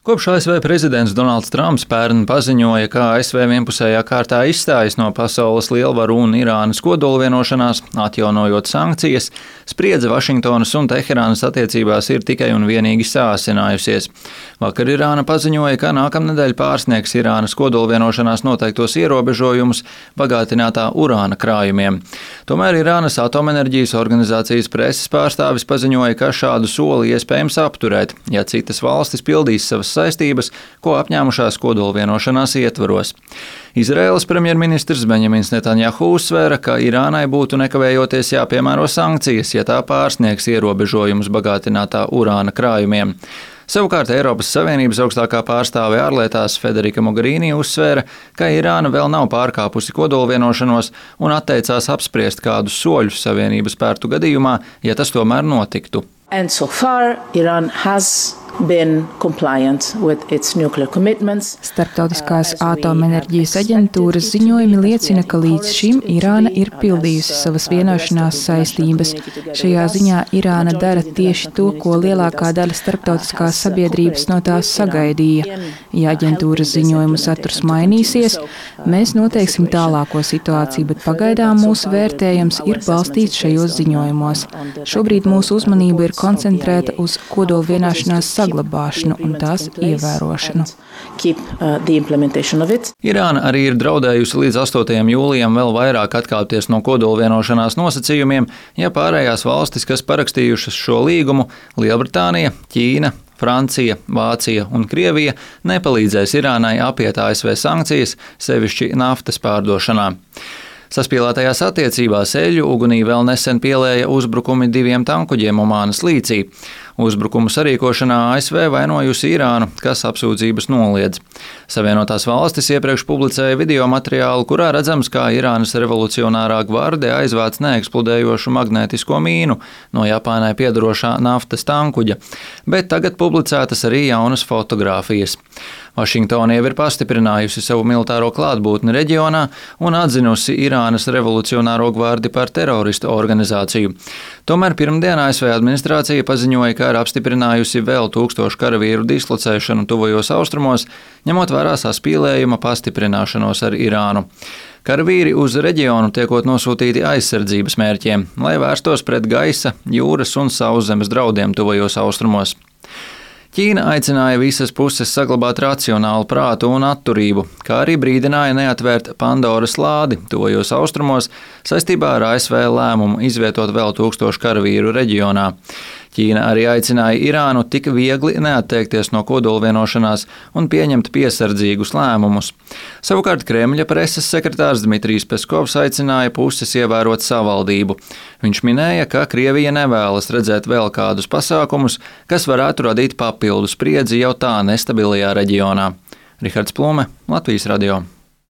Kopš ASV prezidents Donalds Trumps pērn paziņoja, ka ASV vienpusējā kārtā izstājas no pasaules lielvaru un Irānas kodolvienošanās, atjaunojot sankcijas, spriedze Vašingtonas un Teherānas attiecībās ir tikai un vienīgi sāsinājusies. Vakar Irāna paziņoja, ka nākamnedēļ pārsniegs Irānas kodolvienošanās noteiktos ierobežojumus bagātinātā urāna krājumiem. Tomēr Irānas atomenerģijas organizācijas preses pārstāvis paziņoja, ka šādu soli iespējams apturēt, ja citas valstis pildīs savas saistības, ko apņēmušās kodolvienošanās ietvaros. Izraēlas premjerministrs Benjamins Netanjahu uzsvēra, ka Irānai būtu nekavējoties jāpiemēro sankcijas, ja tā pārsniegs ierobežojumus bagātinātā urāna krājumiem. Savukārt Eiropas Savienības augstākā pārstāve ārlietās Federika Mogherini uzsvēra, ka Irāna vēl nav pārkāpusi kodolvienošanos un atteicās apspriest kādus soļus Savienības spērtu gadījumā, ja tas tomēr notiktu. And so far, Iran has been compliant with its nuclear commitments. Starptautiskās atomenerģijas aģentūras ziņojumi liecina, ka līdz šim Irāna ir pildījusi savas vienošanās saistības. Šajā ziņā Irāna dara tieši to, ko lielākā daļa starptautiskās sabiedrības no tās sagaidīja. Ja aģentūras ziņojumu saturs mainīsies, mēs noteiksim tālāko situāciju, bet pagaidām mūsu vērtējums ir balstīts šajos ziņojumos. Šobrīd mūsu uzmanība ir koncentrēta uz kodolvienošanās saglabāšanu un tās ievērošanu. Irāna arī ir draudējusi līdz 8. jūlijam vēl vairāk atkāpties no kodolvienošanās nosacījumiem, ja pārējās valstis, kas parakstījušas šo līgumu, Lielbritānija, Ķīna, Francija, Vācija un Krievija, nepalīdzēs Irānai apiet ASV sankcijas, sevišķi naftas pārdošanā. Saspīlētajās attiecībās eļļu ugunī vēl nesen pielēja uzbrukumi 2 tankuģiem Omānas līcī. Uzbrukumu sarīkošanā ASV vainojusi Irānu, kas apsūdzības noliedz. Savienotās valstis iepriekš publicēja video materiālu, kurā redzams, kā Irānas revolucionārā gvarde aizvāc neeksplodējošu magnētisko mīnu no Japānai piedarošā naftas tankuģa, bet tagad publicētas arī jaunas fotogrāfijas. Vašingtona jau ir pastiprinājusi savu militāro klātbūtni reģionā un atzinusi Irānas revolucionāro gvardi par teroristu organizāciju. Tomēr pirmdien ASV administrācija paziņoja, ka ir apstiprinājusi vēl 1000 karavīru dislocēšanu tuvajos austrumos, ņemot vērā saspīlējuma pastiprināšanos ar Irānu. Karavīri uz reģionu tiekot nosūtīti aizsardzības mērķiem, lai vērstos pret gaisa, jūras un sauszemes draudiem tuvajos austrumos. Ķīna aicināja visas puses saglabāt racionālu prātu un atturību, kā arī brīdināja neatvērt Pandoras lādi tuvajos austrumos saistībā ar ASV lēmumu izvietot vēl 1000 karavīru reģionā. Ķīna arī aicināja Irānu tik viegli neatteikties no kodolvienošanās un pieņemt piesardzīgus lēmumus. Savukārt Kremļa preses sekretārs Dmitrijs Peskovs aicināja puses ievērot savaldību. Viņš minēja, ka Krievija nevēlas redzēt vēl kādus pasākumus, kas varētu radīt papildu spriedzi jau tā nestabilajā reģionā. Rihards Plume, Latvijas radio.